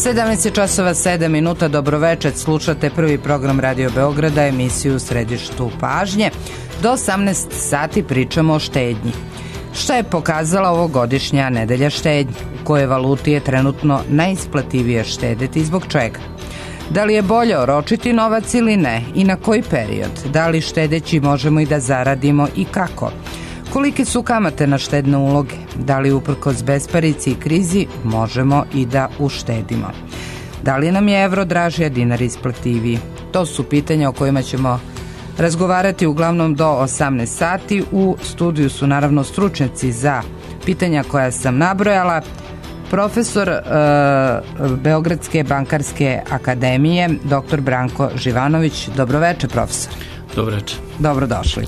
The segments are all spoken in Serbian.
17 časova 7 minuta, dobroveče, slušate prvi program Radio Beograda, emisiju u središtu pažnje. Do 18 sati pričamo o štednji. Šta je pokazala ovogodišnja nedelja štednje? U kojoj valuti je trenutno najisplativije štedeti i zbog čega? Da li je bolje oročiti novac ili ne i na koji period? Da li štedeći možemo i da zaradimo i kako? Kolike su kamate na štedne uloge? Da li uprkos besparici i krizi možemo i da uštedimo? Da li nam je evro draži, a dinar isplativiji? To su pitanja o kojima ćemo razgovarati uglavnom do 18 sati. U studiju su naravno stručnjaci za pitanja koja sam nabrojala. Profesor Beogradske bankarske akademije, dr. Branko Živanović. Dobroveče, profesor. Dobroveče. Dobrodošli.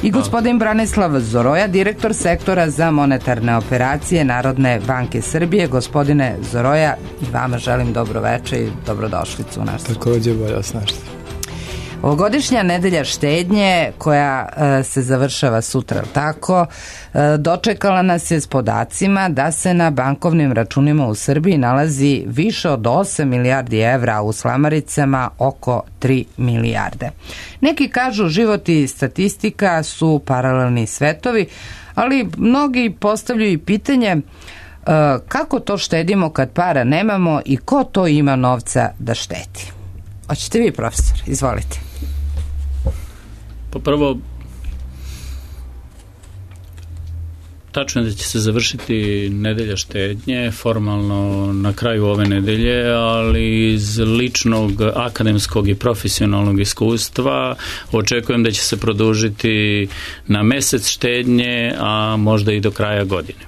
I gospodin Branislav Zoroja, direktor sektora za monetarne operacije Narodne banke Srbije. Gospodine Zoroja, i vama želim dobroveče i dobrodošlicu u naš studij. Također bolje vas našli. Ovogodišnja nedelja štednje koja se završava sutra, tako, dočekala nas je s podacima da se na bankovnim računima u Srbiji nalazi više od 8 milijardi evra, a u slamaricama oko 3 milijarde. Neki kažu život i statistika su paralelni svetovi, ali mnogi postavljaju i pitanje kako to štedimo kad para nemamo i ko to ima novca da štedi. Hoćete vi, profesor? Izvolite. Pa prvo, tačno je da će se završiti nedelja štednje, formalno na kraju ove nedelje, ali iz ličnog, akademskog i profesionalnog iskustva očekujem da će se produžiti na mesec štednje, a možda i do kraja godine.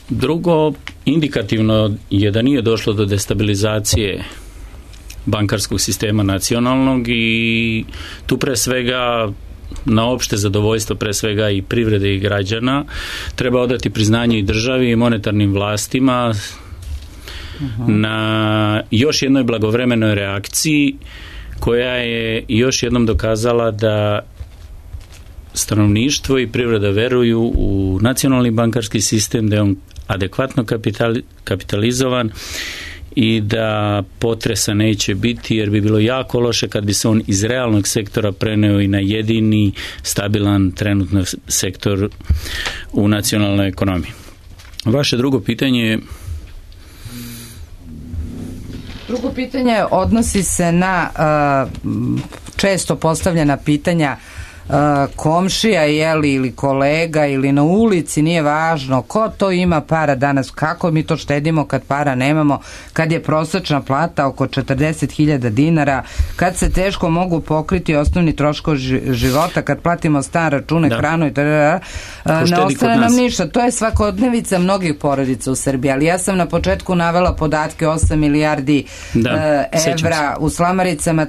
Drugo, indikativno je da nije došlo do destabilizacije bankarskog sistema nacionalnog i tu pre svega na opšte zadovoljstvo pre svega i privrede i građana treba odati priznanje i državi i monetarnim vlastima na još jednoj blagovremenoj reakciji koja je još jednom dokazala da stanovništvo i privreda veruju u nacionalni bankarski sistem, da je on adekvatno kapitalizovan i da potresa neće biti, jer bi bilo jako loše kad bi se on iz realnog sektora preneo i na jedini stabilan trenutno sektor u nacionalnoj ekonomiji. Vaše drugo pitanje odnosi se na često postavljena pitanja komšija, ili kolega ili na ulici, nije važno ko to ima para danas, kako mi to štedimo kad para nemamo, kad je prosječna plata oko 40.000 dinara, kad se teško mogu pokriti osnovni troškovi života, kad platimo stan, račune, hranu i ne ostane nam ništa. To je svakodnevica mnogih porodica u Srbiji, ali ja sam na početku navela podatke 8 milijardi evra, u slamaricama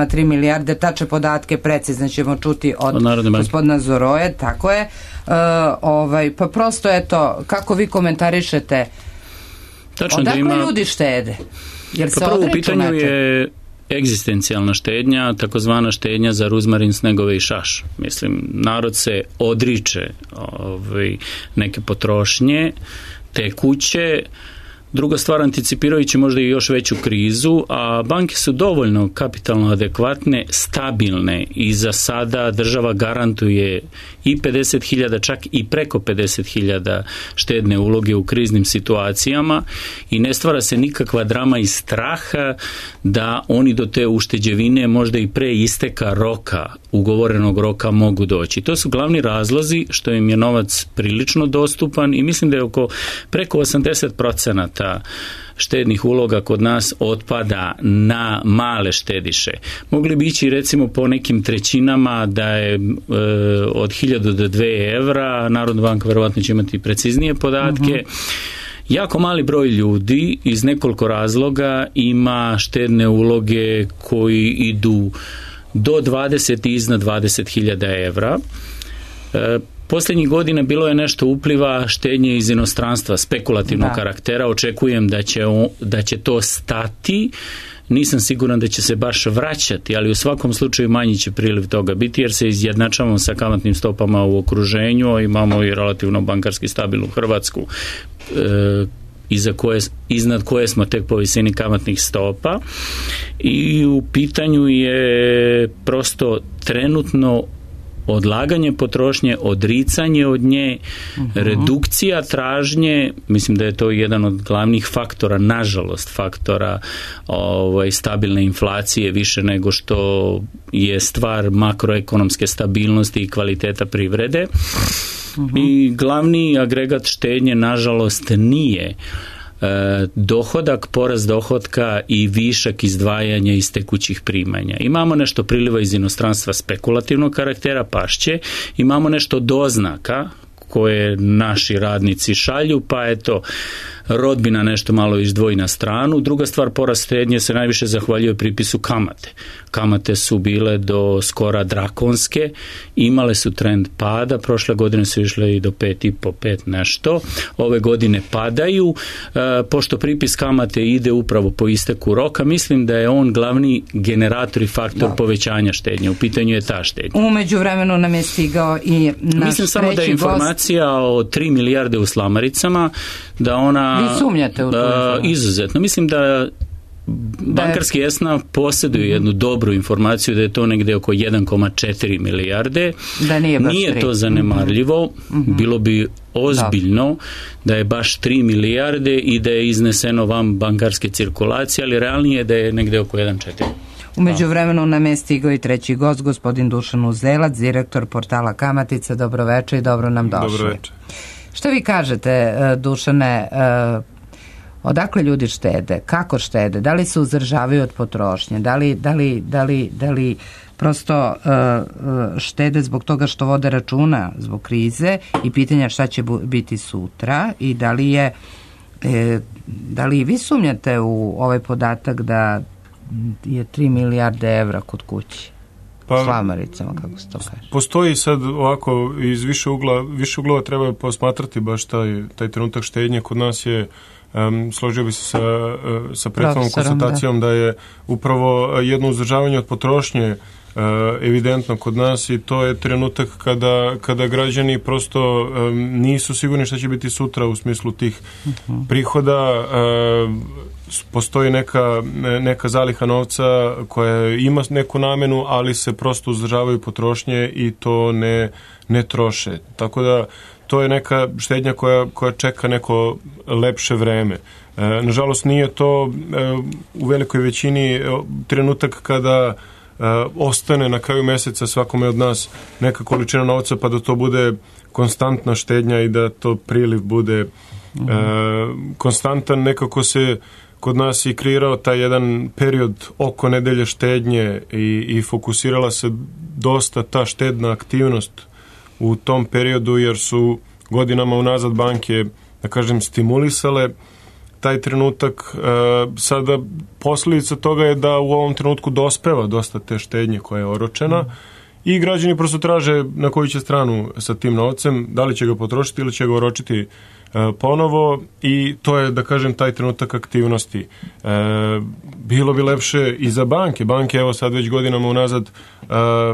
3 milijarde, tače podatke precizno ćemo čuti od gospodina Zoroje, tako je. Pa prosto eto, kako vi komentarišete, odakle ljudi štede? Prvo u pitanju je egzistencijalna štednja, takozvana štednja za ruzmarin, snegove i šaš. Mislim, narod se odriče neke potrošnje, tekuće. Druga stvar, anticipirajući možda i još veću krizu, a banke su dovoljno kapitalno adekvatne, stabilne i za sada država garantuje i 50.000, čak i preko 50.000 štedne uloge u kriznim situacijama i ne stvara se nikakva drama i straha da oni do te ušteđevine možda i pre isteka roka, ugovorenog roka, mogu doći. To su glavni razlozi što im je novac prilično dostupan i mislim da je preko 80% štednih uloga kod nas otpada na male štediše. Mogli bi ići recimo po nekim trećinama da je od 1000 do 2 evra, Narodna banka verovatno će imati preciznije podatke. Jako mali broj ljudi iz nekoliko razloga ima štedne uloge koji idu do 20 i iznad 20.000 evra. Posljednjih godina bilo je nešto upliva štednje iz inostranstva, spekulativnog karaktera. Očekujem da će to stati. Nisam siguran da će se baš vraćati, ali u svakom slučaju manji će priliv toga biti, jer se izjednačavamo sa kamatnim stopama u okruženju, imamo i relativno bankarski stabilnu Hrvatsku. iznad koje smo tek po visini kamatnih stopa, i u pitanju je prosto trenutno odlaganje potrošnje, odricanje od nje, redukcija tražnje. Mislim da je to jedan od glavnih faktora, nažalost faktora stabilne inflacije, više nego što je stvar makroekonomske stabilnosti i kvaliteta privrede. I glavni agregat štednje nažalost nije dohodak, porast dohotka i višak izdvajanja iz tekućih primanja. Imamo nešto priliva iz inostranstva spekulativnog karaktera, pašće, imamo nešto doznaka koje naši radnici šalju, pa eto, rodbina nešto malo izdvoji na stranu. Druga stvar, porast štednje se najviše zahvaljuje pripisu kamate. Kamate su bile do skora drakonske, imale su trend pada, prošle godine su išle i do 5,5 nešto, ove godine padaju, pošto pripis kamate ide upravo po isteku roka, mislim da je on glavni generator i faktor povećanja štednje. U pitanju je ta štednja. U međuvremenu nam je stigao i naš mislim samo da je informacija o 3 milijarde u slamaricama, da ona... Vi sumnjate u to? Izuzetno. Mislim da bankarski ESNA posjeduje jednu dobru informaciju da je to negdje oko 1,4 milijarde. Da nije to zanemarljivo. Bilo bi ozbiljno da je baš 3 milijarde i da je izneseno van bankarske cirkulacije, ali realnije je da je negdje oko 1,4. U međuvremenu nam je stigao i treći gost, gospodin Dušan Uzelac, direktor portala Kamatica. Dobroveče i dobro nam došli. Dobroveče. Što vi kažete, Dušane, odakle ljudi štede, kako štede, da li se uzdržavaju od potrošnje, da li prosto štede zbog toga što vode računa zbog krize i pitanja šta će biti sutra, i da li vi sumnjate u ovaj podatak da je 3 milijarde evra kod kući? Slamaricama, kako se to kaže. Postoji sad ovako iz više uglova treba posmatrati baš taj trenutak štednje. Kod nas je, složio bi se sa prethodnom konstatacijom da je upravo jedno uzdržavanje od potrošnje evidentno kod nas, i to je trenutak kada građani prosto nisu sigurni šta će biti sutra u smislu tih prihoda. Postoji neka zaliha novca koja ima neku namenu, ali se prosto uzdržavaju potrošnje i to ne troše. Tako da to je neka štednja koja čeka neko lepše vreme. Nažalost nije to u velikoj većini trenutak kada ostane na kraju mjeseca svakome od nas neka količina novca, pa da to bude konstantna štednja i da to priliv bude konstantan. Nekako se kod nas i kreirao taj jedan period oko nedelje štednje i fokusirala se dosta ta štedna aktivnost u tom periodu, jer su godinama unazad banke, da kažem, stimulisale taj trenutak. Sada posljedica toga je da u ovom trenutku dospeva dosta te štednje koja je oročena i građani prosto traže na koju će stranu sa tim novcem, da li će ga potrošiti ili će ga oročiti ponovo, i to je, da kažem, taj trenutak aktivnosti. Bilo bi lepše i za banke. Banke, evo sad već godinama unazad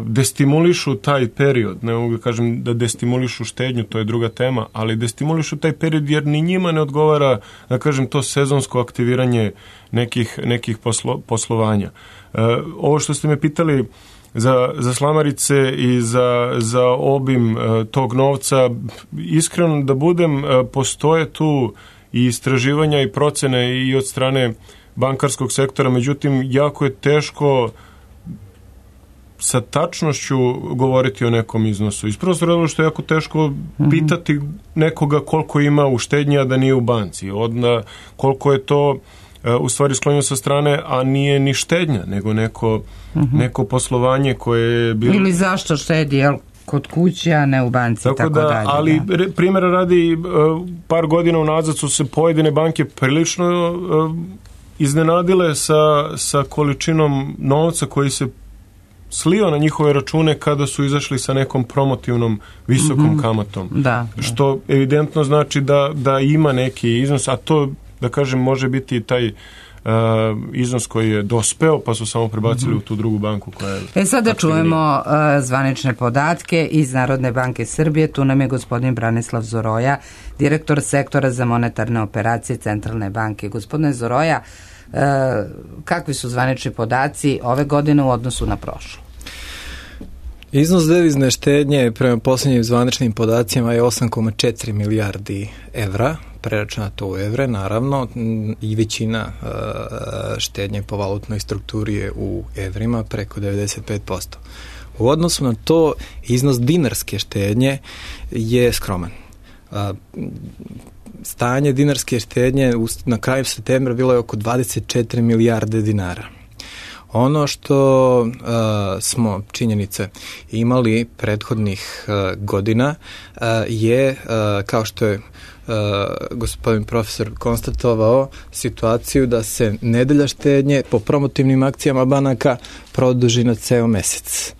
destimulišu taj period. Ne mogu da kažem da destimulišu štednju, to je druga tema, ali destimulišu taj period jer ni njima ne odgovara, da kažem, to sezonsko aktiviranje nekih poslovanja. Ovo što ste me pitali za slamarice i za obim tog novca, iskreno da budem, postoje tu i istraživanja i procene i od strane bankarskog sektora, međutim jako je teško sa tačnošću govoriti o nekom iznosu. Iz prostog razloga što je jako teško pitati nekoga koliko ima u štednji, a da nije u banci. Onda koliko je to u stvari sklonio sa strane, a nije ni štednja, nego neko poslovanje koje je bilo... Ili zašto štedi, jel, kod kuće, a ne u banci, tako dalje. Ali primjera radi, par godina unazad su se pojedine banke prilično iznenadile sa količinom novca koji se slio na njihove račune kada su izašli sa nekom promotivnom visokom kamatom. Da. Što evidentno znači da ima neki iznos, a to, da kažem, može biti taj iznos koji je dospeo, pa su samo prebacili u tu drugu banku koja je... Sada čujemo zvanične podatke iz Narodne banke Srbije. Tu nam je gospodin Branislav Zoroja, direktor sektora za monetarne operacije Centralne banke. Gospodine Zoroja, kakvi su zvanični podaci ove godine u odnosu na prošlu? Iznos devizne štednje prema posljednjim zvaničnim podacima je 8,4 milijardi evra, preračunato u evre, naravno, i većina štednje po valutnoj strukturi je u evrima, preko 95%. U odnosu na to, iznos dinarske štednje je skroman. Stanje dinarske štednje na kraju septembra bilo je oko 24 milijarde dinara. Ono što smo činjenice imali prethodnih godina je, kao što je gospodin profesor konstatovao, situaciju da se nedelja štednje po promotivnim akcijama banaka produži na ceo mesec.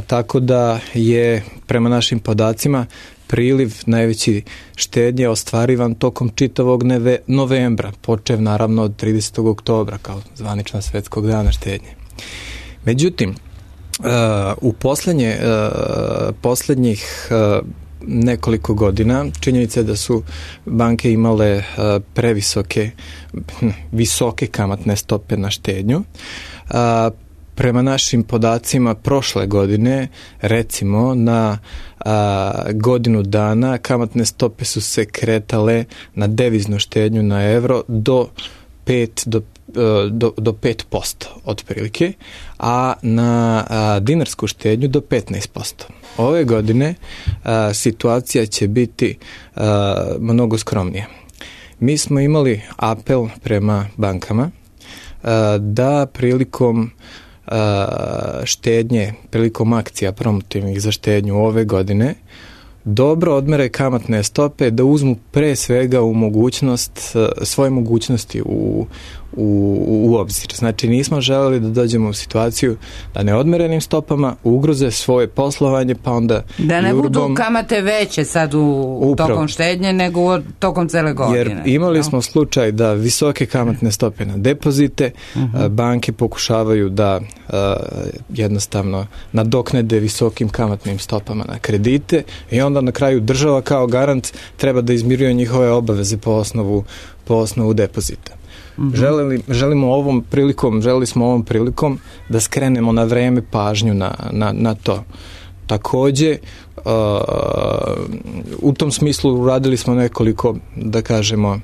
Tako da je prema našim podacima priliv najveći štednje ostvarivan tokom čitavog novembra, počev naravno od 30. oktobra kao zvanična svetskog dana štednje. Međutim, u posljednjih nekoliko godina činjenica je da su banke imale visoke kamatne stope na štednju. Prema našim podacima prošle godine, recimo na godinu dana, kamatne stope su se kretale na deviznu štednju na evro do 5% otprilike, a na dinarsku štednju do 15%. Ove godine situacija će biti mnogo skromnija. Mi smo imali apel prema bankama da prilikom štednje, prilikom akcija promotivnih za štednju ove godine dobro odmere kamatne stope, da uzmu pre svega svoje mogućnosti u obzir. Znači nismo želeli da dođemo u situaciju da neodmerenim stopama ugroze svoje poslovanje, pa onda da ne budu kamate veće sad tokom štednje nego tokom cele godine. Jer imali smo slučaj da visoke kamatne stope na depozite, banke pokušavaju da jednostavno nadoknade visokim kamatnim stopama na kredite i onda na kraju država kao garant treba da izmiruje njihove obaveze po osnovu depozita. Želili smo ovom prilikom da skrenemo na vreme pažnju na to. Takođe, u tom smislu uradili smo nekoliko, da kažemo,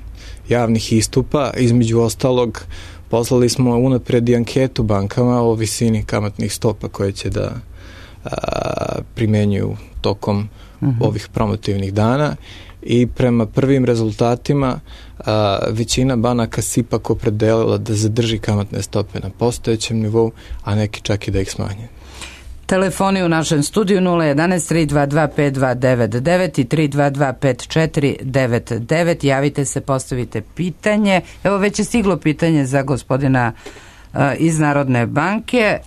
javnih istupa. Između ostalog, poslali smo unapred i anketu bankama o visini kamatnih stopa koje će da primenjuju tokom ovih promotivnih dana i prema prvim rezultatima većina banaka se ipak opredelila da zadrži kamatne stope na postojećem nivou, a neki čak i da ih smanje. Telefoni u našem studiju 011 322 5299 i 322 5499. Javite se, postavite pitanje. Evo, već je stiglo pitanje za gospodina iz Narodne banke.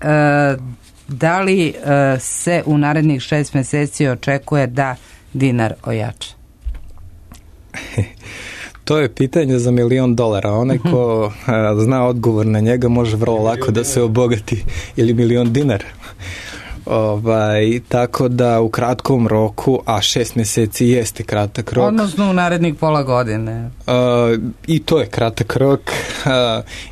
Da li se u narednih 6 meseci očekuje da dinar ojača? To je pitanje za $1.000.000. Onaj ko zna odgovor na njega može vrlo lako da se obogati, ili $1.000.000. Tako da u kratkom roku, a 6 meseci jeste kratak rok. Odnosno u narednih pola godine. I to je kratak rok,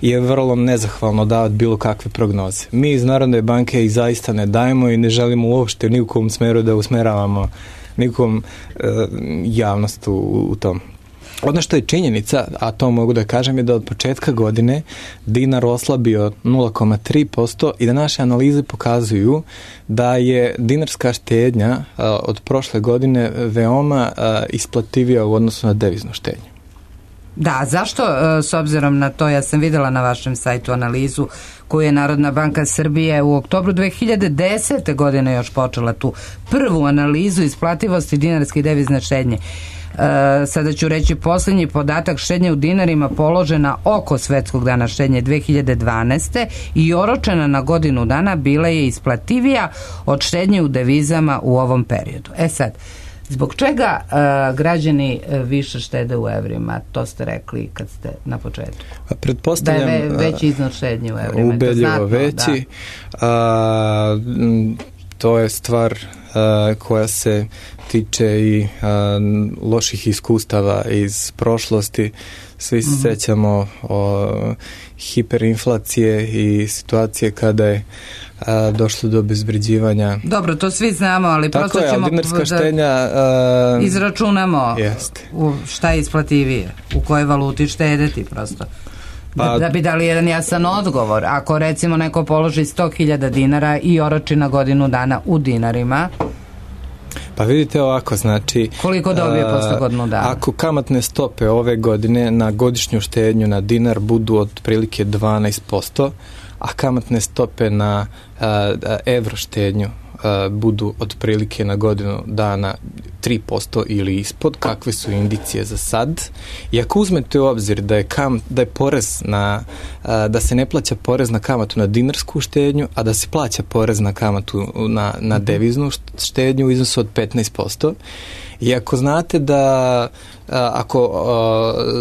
je vrlo nezahvalno davati bilo kakve prognoze. Mi iz Narodne banke ih zaista ne dajemo i ne želimo uopšte ni u kom smeru da usmeravamo nikom javnost u tom. Ono što je činjenica, a to mogu da kažem, je da od početka godine dinar oslabio 0,3% i da naše analize pokazuju da je dinarska štednja od prošle godine veoma isplativija u odnosu na deviznu štednju. Da, zašto, s obzirom na to, ja sam videla na vašem sajtu analizu koju je Narodna banka Srbije u oktobru 2010. godine još počela tu prvu analizu isplativosti dinarske i devizne štednje. Sada ću reći posljednji podatak: štednje u dinarima položena oko svetskog dana štednje 2012. i oročena na godinu dana bila je isplativija od štednje u devizama u ovom periodu. Sad, Zbog čega građani više štede u evrima? To ste rekli kad ste na početku. Pretpostavljam, da je veći iznos štednje u evrima. Ubedljivo veći. Da. To je stvar koja se tiče i loših iskustava iz prošlosti. Svi se sećamo hiperinflacije i situacije kada je došlo do obezvređivanja. Dobro, to svi znamo, ali tako prosto ćemo dinarska štenja, izračunamo šta je isplativije, u kojoj valuti štedeti prosto. Da bi dali jedan jasan odgovor. Ako recimo neko položi 100.000 dinara i oroči na godinu dana u dinarima, pa vidite ovako, znači koliko dobije posle godinu dana? Ako kamatne stope ove godine na godišnju štednju na dinar budu otprilike 12%, a kamatne stope na evro štednju budu otprilike na godinu dana 3% ili ispod, kakve su indicije za sad. I ako uzmete u obzir da je porez da se ne plaća porez na kamatu na dinarsku štednju, a da se plaća porez na kamatu na deviznu štednju u iznosu od 15%. I ako znate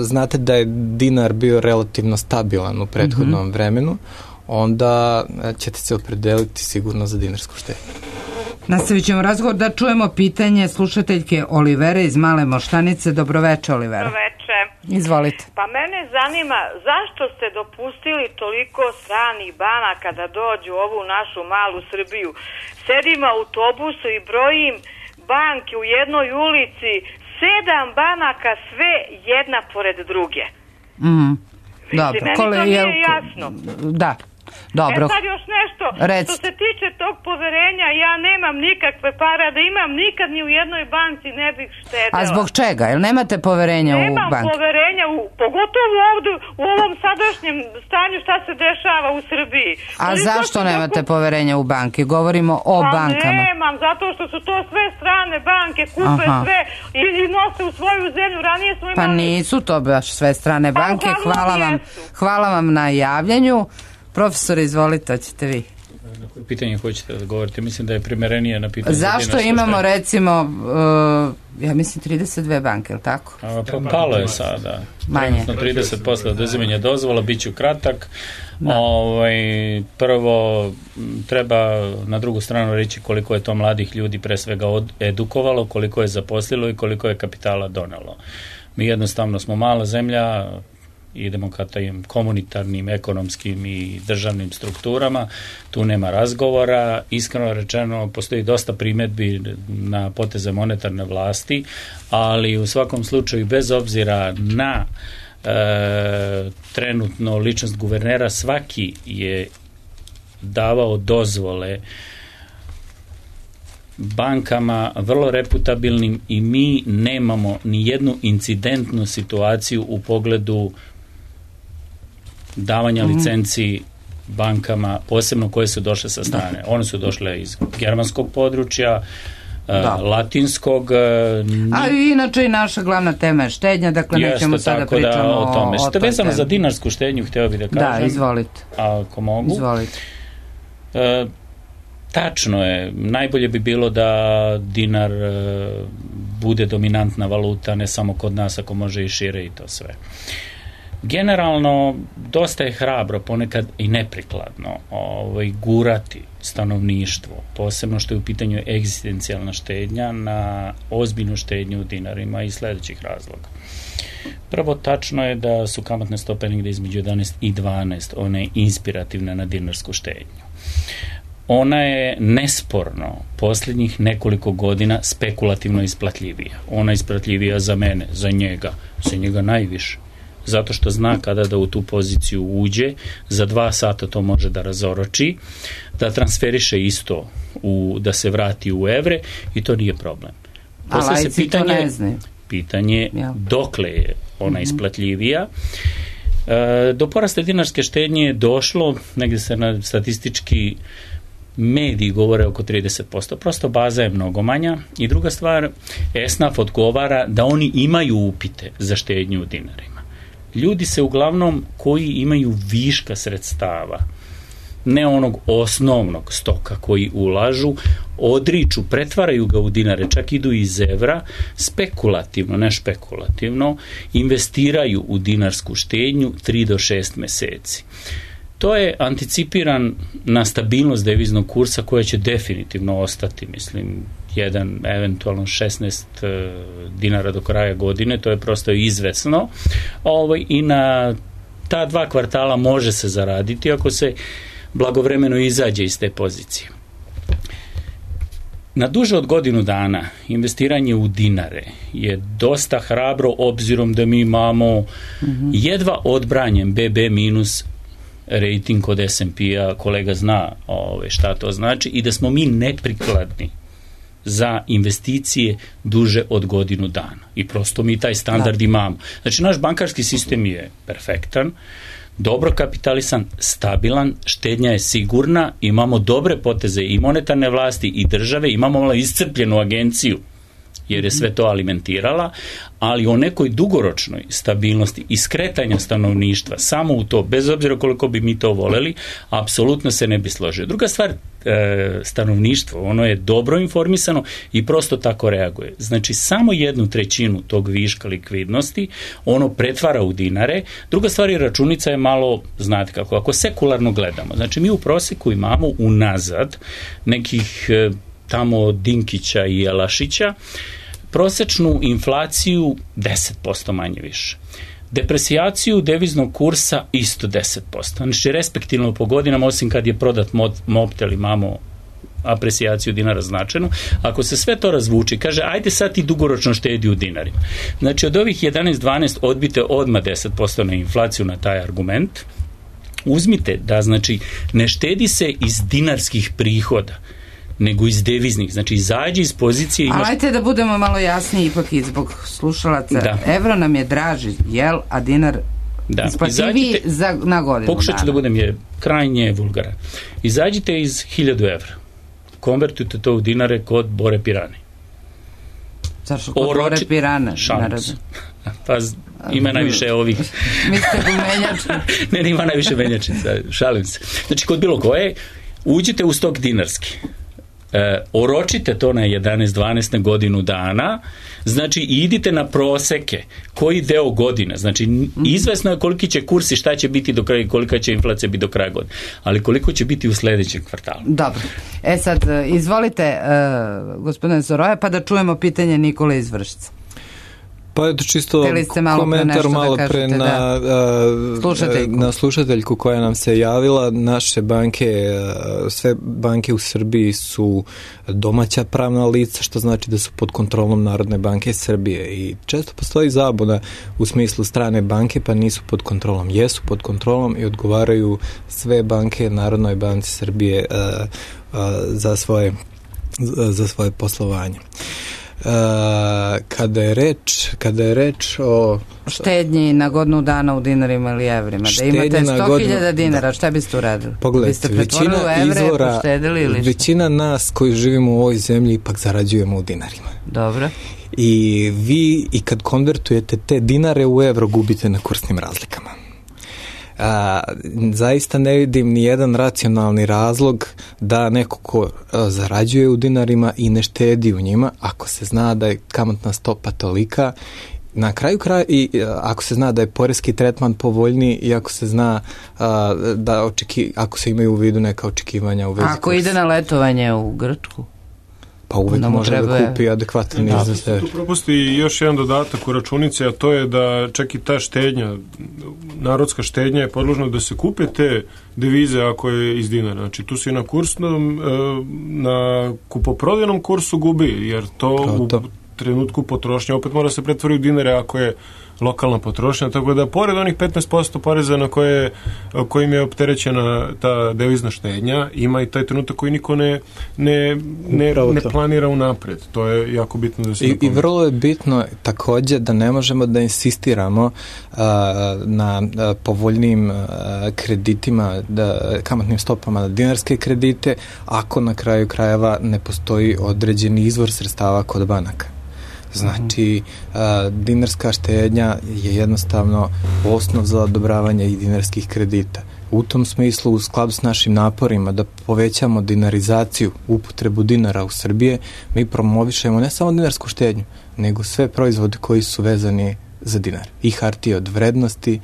znate da je dinar bio relativno stabilan u prethodnom vremenu, onda ćete se opredeliti sigurno za dinarsku štednju. Nastavit ćemo razgovor, da čujemo pitanje slušateljke Olivere iz Male Moštanice. Dobroveče, Olivera. Dobroveče. Izvolite. Pa mene zanima zašto ste dopustili toliko stranih banaka da dođu u ovu našu malu Srbiju. Sedim u autobusu i brojim banke u jednoj ulici, 7 banaka, sve jedna pored druge. Dobro. Meni to nije jasno. Da. Dobro. Sad još nešto, što se tiče tog poverenja, ja nemam nikakve para, da imam nikad ni u jednoj banci ne bih štedela. A zbog čega? Jel nemate poverenja u banke? Nemam poverenja, pogotovo ovdje u ovom sadašnjem stanju šta se dešava u Srbiji. A zašto nemate poverenja u banke? Govorimo o bankama. Nemam, zato što su to sve strane banke, kupe sve i nose u svoju zemlju. Ranije smo imali... Pa nisu to baš sve strane banke. Hvala vam na javljanju. Profesor, izvolite, hoćete vi. Na koje pitanje hoćete da govorite? Mislim da je primerenije na pitanje. Zašto imamo recimo, ja mislim 32 banke, je li tako? Palo je sada. Manje. 30% oduzimanja dozvola, bit ću kratak. Prvo, treba na drugu stranu reći koliko je to mladih ljudi pre svega edukovalo, koliko je zaposlilo i koliko je kapitala donelo. Mi jednostavno smo mala zemlja, idemo ka tajim komunitarnim, ekonomskim i državnim strukturama, tu nema razgovora. Iskreno rečeno, postoji dosta primjedbi na poteze monetarne vlasti, ali u svakom slučaju, bez obzira na trenutno ličnost guvernera, svaki je davao dozvole bankama vrlo reputabilnim i mi nemamo ni jednu incidentnu situaciju u pogledu davanja licenci bankama, posebno koje su došle sa strane. One su došle iz germanskog područja, latinskog. A inače i naša glavna tema je štednja, dakle nećemo sada pričamo o tome. Što je vezano za dinarsku štednju, htio bih da kažem. Da, izvolite. Ako mogu. Izvolite. Tačno je, najbolje bi bilo da dinar bude dominantna valuta, ne samo kod nas, ako može i šire i to sve. Generalno, dosta je hrabro, ponekad i neprikladno gurati stanovništvo, posebno što je u pitanju egzistencijalna štednja, na ozbiljnu štednju u dinarima iz sljedećih razloga. Prvo, tačno je da su kamatne stope negdje između 11 i 12, one inspirativne na dinarsku štednju. Ona je nesporno posljednjih nekoliko godina spekulativno isplatljivija. Ona je isplatljivija za mene, za njega najviše. Zato što zna kada da u tu poziciju uđe, za 2 sata to može da razoroči, da transferiše isto, da se vrati u evre i to nije problem. Poslije se pitanje dokle je ona isplatljivija. Do porasta dinarske štednje je došlo, negdje se na statistički mediji govore oko 30%, prosto baza je mnogo manja. I druga stvar, ESNAF odgovara da oni imaju upite za štednju u dinarima. Ljudi se uglavnom koji imaju viška sredstava ne onog osnovnog stoka koji ulažu, odriču, pretvaraju ga u dinare, čak idu iz evra, spekulativno, ne špekulativno, investiraju u dinarsku štednju 3 do 6 meseci. To je anticipiran na stabilnost deviznog kursa koja će definitivno ostati, mislim, eventualno 16 dinara do kraja godine, to je prosto izvesno, i na ta 2 kvartala može se zaraditi ako se blagovremeno izađe iz te pozicije. Na duže od godinu dana investiranje u dinare je dosta hrabro, obzirom da mi imamo jedva odbranjen BB minus rating kod S&P-a, kolega zna šta to znači, i da smo mi neprikladni za investicije duže od godinu dana. I prosto mi taj standard imamo. Znači, naš bankarski sistem je perfektan, dobro kapitalisan, stabilan, štednja je sigurna, imamo dobre poteze i monetarne vlasti i države, imamo malo iscrpljenu agenciju, jer je sve to alimentirala, ali o nekoj dugoročnoj stabilnosti i skretanja stanovništva samo u to, bez obzira koliko bi mi to voleli, apsolutno se ne bi složio. Druga stvar, stanovništvo, ono je dobro informisano i prosto tako reaguje. Znači, samo 1/3 tog viška likvidnosti ono pretvara u dinare. Druga stvar je, računica je malo, znate kako, ako sekularno gledamo, znači mi u proseku imamo unazad nekih tamo Dinkića i Jelašića prosečnu inflaciju 10% manje više. Depresijaciju deviznog kursa isto 10%. Znači, respektivno po godinama, osim kad je prodat Mobtel, imamo apresijaciju dinara značajnu. Ako se sve to razvuči, kaže, ajde sad ti dugoročno štedi u dinarima. Znači, od ovih 11-12 odbite odmah 10% na inflaciju na taj argument. Uzmite da, znači, ne štedi se iz dinarskih prihoda, nego iz deviznih. Znači, izađi iz pozicije... Ali ajte da budemo malo jasniji ipak i zbog slušalaca. Da. Evro nam je draži, jel, a dinar isplativiji na godinu. Pokušat ću da budem krajnje vulgaran. Izađite iz 1000 evra. Konvertujte to u dinare kod Bore Pirane. Zašto kod Bore Pirane? Pa ima najviše ovih... Mislite u menjačku? Ne, ima najviše menjačica, šalim se. Znači, kod bilo koje, uđite u stok dinarski. Oročite to na 11-12 na godinu dana, znači idite na proseke koji deo godine, znači izvesno je koliki će kurs i šta će biti do kraja, kolika će inflacija biti do kraja godine, ali koliko će biti u sledećem kvartalu. Dobro, sad izvolite gospodine Soroja, pa da čujemo pitanje Nikole iz Vršca. Pa je to čisto komentar malo pre na slušateljku koja nam se javila. Naše banke, sve banke u Srbiji su domaća pravna lica, što znači da su pod kontrolom Narodne banke Srbije i često postoji zabuna u smislu strane banke pa nisu pod kontrolom. Jesu pod kontrolom i odgovaraju sve banke Narodnoj banci Srbije za svoje poslovanje. Kada je reč o štednji na godinu dana u dinarima ili evrima, da imate 100.000 dinara, šta biste uradili? Pogledajte, većina nas koji živimo u ovoj zemlji ipak zarađujemo u dinarima. Dobro. I vi i kad konvertujete te dinare u evro gubite na kursnim razlikama. Zaista ne vidim ni jedan racionalni razlog da neko ko zarađuje u dinarima i ne štedi u njima, ako se zna da je kamatna stopa tolika, na kraju kraja i ako se zna da je poreski tretman povoljniji i ako se zna ako se imaju u vidu neka očekivanja u vezi kursa. Ako ide na letovanje u Grčku? Pa uvijek može da kupi adekvatan iznos. Tu propusti još jedan dodatak u računici, a to je da čak i ta štednja, narodska štednja je podložna da se kupe te devize ako je iz dinara. Znači tu si na kupoprodajnom kursu gubi, jer to u trenutku potrošnje opet mora se pretvoriti u dinare ako je lokalna potrošnja, tako da pored onih 15% poreza na kojim je opterećena ta devizna štednja, ima i taj trenutak koji niko ne planira unapred. To je jako bitno da se I vrlo je bitno takođe da ne možemo da insistiramo na povoljnim kreditima, kamatnim stopama na dinarske kredite, ako na kraju krajeva ne postoji određeni izvor sredstava kod banaka. Znači, dinarska štednja je jednostavno osnov za odobravanje i dinarskih kredita. U tom smislu, u skladu s našim naporima da povećamo dinarizaciju, upotrebu dinara u Srbije, mi promovišemo ne samo dinarsku štednju, nego sve proizvode koji su vezani za dinar. I hartije od vrednosti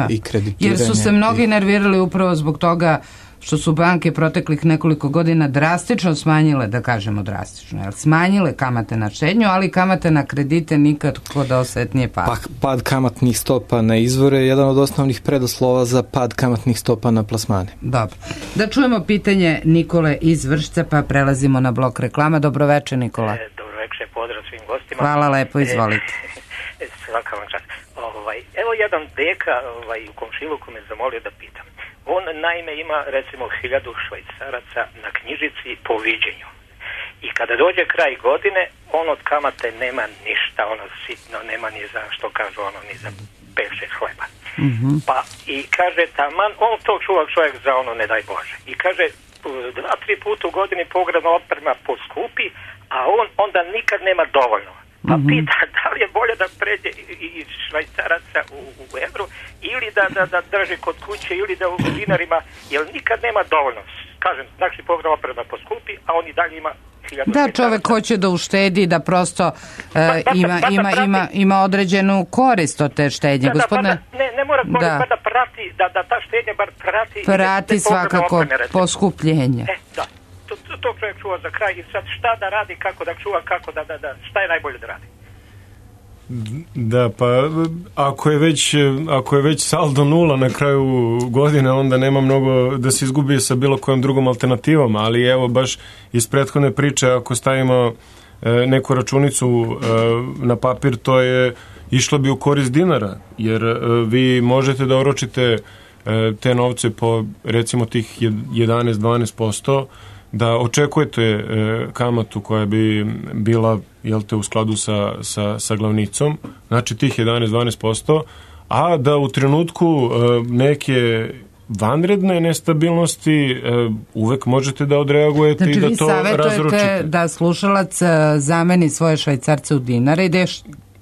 i kreditiranje. Jer su se mnogi nervirali upravo zbog toga što su banke proteklih nekoliko godina drastično smanjile, da kažemo drastično, smanjile kamate na štednju, ali kamate na kredite nikako da osetnije pada. Pad kamatnih stopa na izvore je jedan od osnovnih preduslova za pad kamatnih stopa na plasmane. Dobro. Da čujemo pitanje Nikole iz Vršca, pa prelazimo na blok reklama. Dobroveče, Nikola. Dobroveče, pozdrav svim gostima. Hvala lepo, izvolite. Svaka vam čast. Evo jedan deka u komšiluku me zamolio da pitam. On naime ima recimo 1000 švajcaraca na knjižici po viđenju. I kada dođe kraj godine, on od kamate nema ništa, ono sitno, nema ni za, što kažu, ono, ni za 5-6 hleba. Pa i kaže, taman, on to čuva čovjek za ono, ne daj Bože. I kaže, 2-3 puta u godini pogrebna oprema poskupi, a on onda nikad nema dovoljno. Pa pita da li je bolje da pređe iz švajcaraca u evru ili da drži kod kuće ili da u dinarima, jer nikad nema dovoljno. Kažem, znači pogrebna oprema poskupi, a on i dalje ima 1000. Da, čovek hoće da uštedi, da prosto ima određenu korist od te štednje. Ne mora korist, da prati, da ta štednja bar prati svakako poskupljenje. Da. To čovjek čuva za kraj i sad šta da radi, kako da čuva, kako da šta je najbolje da radi? Da, pa ako je već saldo nula na kraju godine, onda nema mnogo da se izgubi sa bilo kojom drugom alternativom, ali evo baš iz prethodne priče, ako stavimo neku računicu na papir, to je išlo bi u korist dinara, jer vi možete da oročite te novce po recimo tih 11-12%, da očekujete kamatu koja bi bila, jel te, u skladu sa glavnicom, znači tih 11-12%, a da u trenutku neke vanredne nestabilnosti uvek možete da odreagujete, znači, i da to razručite. Znači vi savjetujete da slušalac zameni svoje švajcarce u dinare i da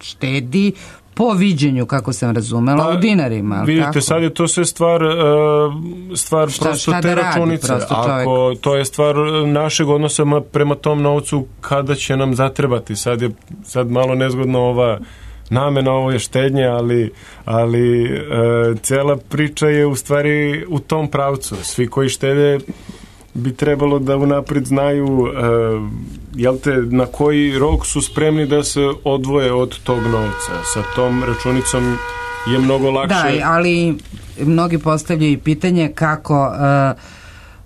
štedi po viđenju, kako sam razumela, u dinarima. Vidite, tako? Sad je to sve stvar prosto te računice. Ako to je stvar našeg odnosa prema tom novcu, kada će nam zatrebati. Sad malo nezgodno ova namena, ovo je štednje, ali cela priča je u stvari u tom pravcu. Svi koji štede bi trebalo da unapred znaju na koji rok su spremni da se odvoje od tog novca. Sa tom računicom je mnogo lakše. Da, ali mnogi postavljaju pitanje kako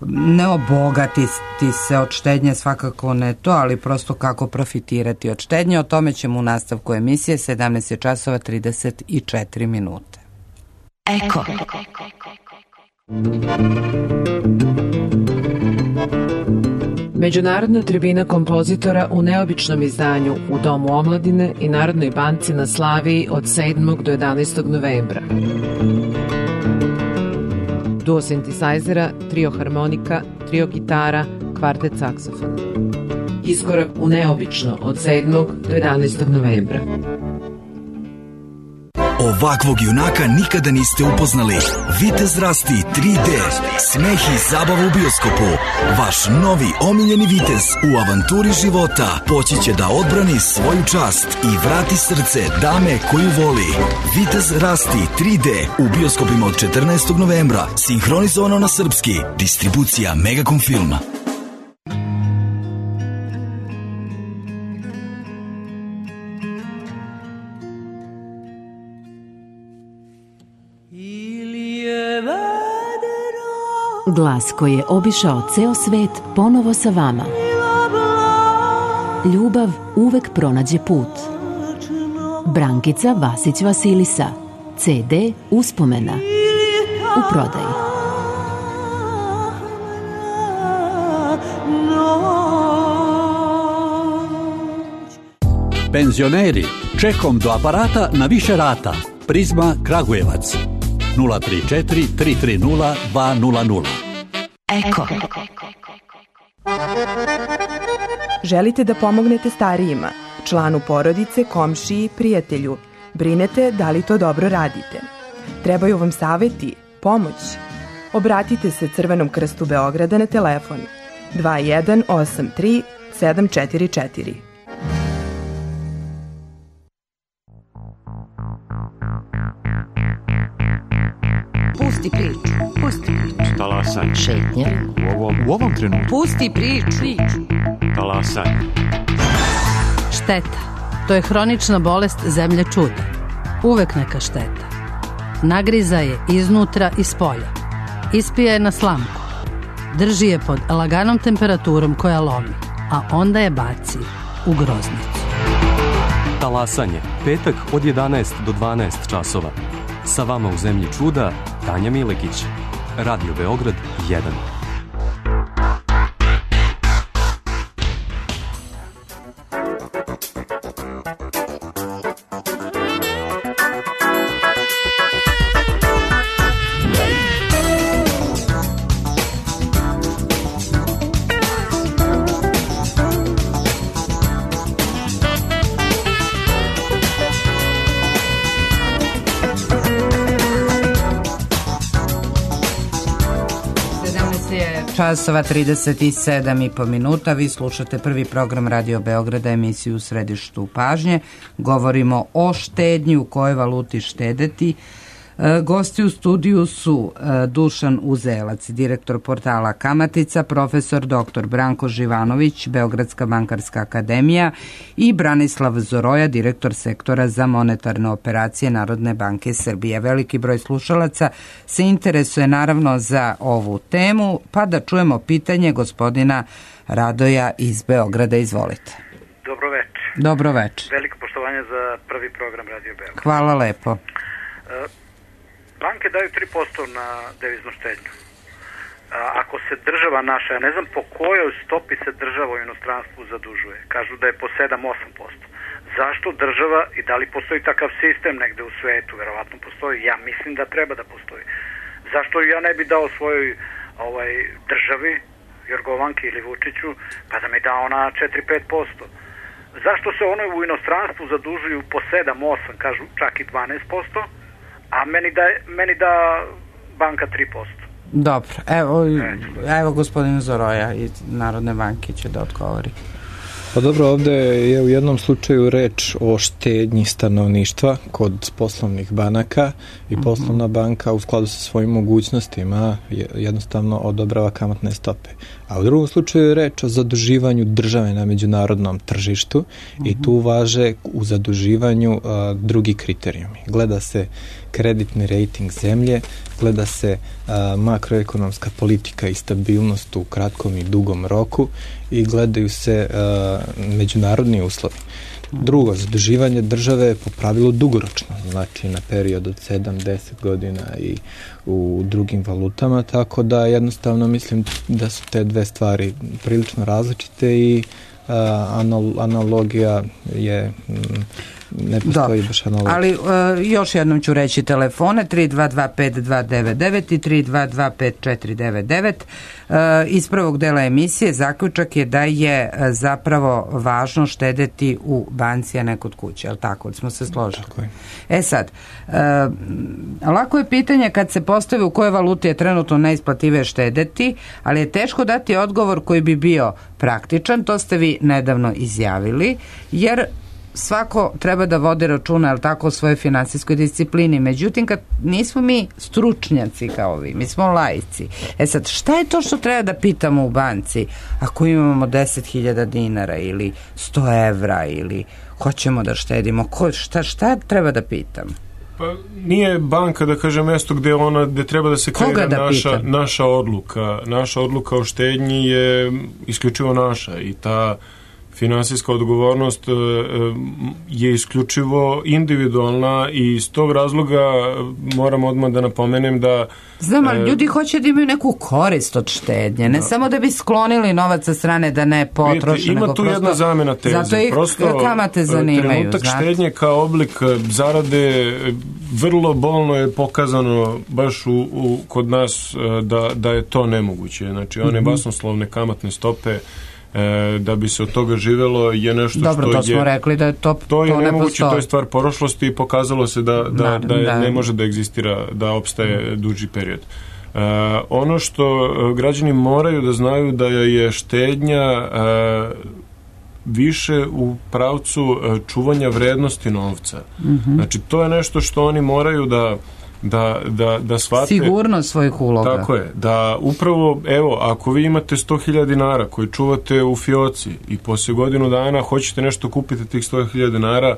ne obogatiti se od štednje, svakako ne to, ali prosto kako profitirati od štednje. O tome ćemo u nastavku emisije. 17:34. Eko. Međunarodna tribina kompozitora u neobičnom izdanju u Domu omladine i Narodnoj banci na Slaviji od 7. do 11. novembra. Duo sintesajzera, trio harmonika, trio gitara, kvartet saksofona. Iskorak u neobično od 7. do 11. novembra. Ovakvog junaka nikada niste upoznali. Vitez Rasti 3D. Smeh i zabava u bioskopu. Vaš novi omiljeni vitez u avanturi života poći će da odbrani svoju čast i vrati srce dame koju voli. Vitez Rasti 3D u bioskopima od 14. novembra. Sinhronizovano na srpski. Distribucija Megacom Filma. Glas koji je obišao ceo svet ponovo sa vama. Ljubav uvek pronađe put. Brankica Vasić Vasilisa. CD Uspomena. U prodaji. Penzioneri, čekom do aparata na više rata. Prizma Kragujevac. 034 330 200. Eko. Želite da pomognete starijima, članu porodice, komšiji, prijatelju. Brinete da li to dobro radite. Trebaju vam saveti, pomoć. obratite se Crvenom krstu Beograda na telefon 2183 744. Pusti priču. Talasaj. Šetnje. U ovom trenutku. Pusti priču. Talasaj. Šteta. To je hronična bolest zemlje čuda. Uvek neka šteta. Nagriza je iznutra i spolja. Ispija je na slamku. Drži je pod laganom temperaturom koja lomi, a onda je baci u groznicu. Talasanje. Petak od 11 do 12 časova. Sa vama u zemlji čuda, Tanja Milekić. Radio Beograd 1. Časova 37,5 minuta. Vi slušate prvi program Radio Beograda, emisiju u središtu pažnje. Govorimo o štednji, u kojoj valuti štedeti. Gosti u studiju su Dušan Uzelac, direktor portala Kamatica, profesor dr. Branko Živanović, Beogradska bankarska akademija i Branislav Zoroja, direktor sektora za monetarne operacije Narodne banke Srbije. Veliki broj slušalaca se interesuje naravno za ovu temu, pa da čujemo pitanje gospodina Radoja iz Beograda. Izvolite. Dobro večer. Dobro večer. Veliko poštovanje za prvi program Radio Beograd. Hvala lepo. Banke daju 3% na deviznu štednju. Ako se država naša, ja ne znam po kojoj stopi se država u inostranstvu zadužuje. Kažu da je po 7-8%. Zašto država i da li postoji takav sistem negde u svetu? Verovatno postoji. Ja mislim da treba da postoji. Zašto ja ne bi dao svojoj državi, Jorgovanki ili Vučiću, pa da mi dao na 4-5%? Zašto se ono u inostranstvu zadužuju po 7-8%, kažu čak i 12%? A meni da banka 3%. Dobro, evo gospodin Zoroja iz Narodne banke će da odgovori. Pa dobro, ovde je u jednom slučaju reč o štednji stanovništva kod poslovnih banaka i poslovna banka u skladu sa svojim mogućnostima jednostavno odobrava kamatne stope. A u drugom slučaju je reč o zaduživanju države na međunarodnom tržištu i tu važe u zaduživanju drugi kriterijumi. Gleda se kreditni rejting zemlje, gleda se makroekonomska politika i stabilnost u kratkom i dugom roku i gledaju se međunarodni uslovi. Drugo, zaduživanje države je po pravilu dugoročno, znači na period od 7-10 godina i u drugim valutama, tako da jednostavno mislim da su te dve stvari prilično različite i analogija je ne postoji baš analogija. Ali još jednom ću reći telefone 3225299 i 3225499. Iz prvog dela emisije zaključak je da je zapravo važno štedeti u banci, a ne kod kuće, ali tako smo se složili. Sad, lako je pitanje kad se postavi u kojoj valuti je trenutno najisplativije štedeti, ali je teško dati odgovor koji bi bio praktičan, to ste vi nedavno izjavili, jer svako treba da vodi računa, ali tako, o svojoj finansijskoj disciplini. Međutim, kad nismo mi stručnjaci kao vi, mi smo laici. Sad, šta je to što treba da pitamo u banci ako imamo 10.000 dinara ili 100 evra ili hoćemo da štedimo? Šta treba da pitam? Pa nije banka, da kaže, mesto gde treba da se kreira naša odluka. Naša odluka o štednji je isključivo naša i ta finansijska odgovornost je isključivo individualna i iz tog razloga moram odmah da napomenem da... Znam, ali ljudi hoće da imaju neku korist od štednje, ne samo da bi sklonili novac sa strane da ne potroše, ima tu jedna zamena teze. Zato ih kamate zanimaju. Trenutak štednje kao oblik zarade vrlo bolno je pokazano baš kod nas da je to nemoguće. Znači, one basnoslovne kamatne stope da bi se od toga živelo je nešto dobro, što je... Dobro, to smo rekli da je to je nemoguće, postoji. To je stvar prošlosti i pokazalo se da ne može da egzistira, da opstaje duži period. Ono što građani moraju da znaju da je štednja više u pravcu čuvanja vrednosti novca. Znači, to je nešto što oni moraju da shvate. Sigurnost svojih uloga. Tako je. Da upravo, evo, ako vi imate 100.000 dinara koji čuvate u fioci i poslije godinu dana hoćete nešto kupiti tih 100.000 dinara,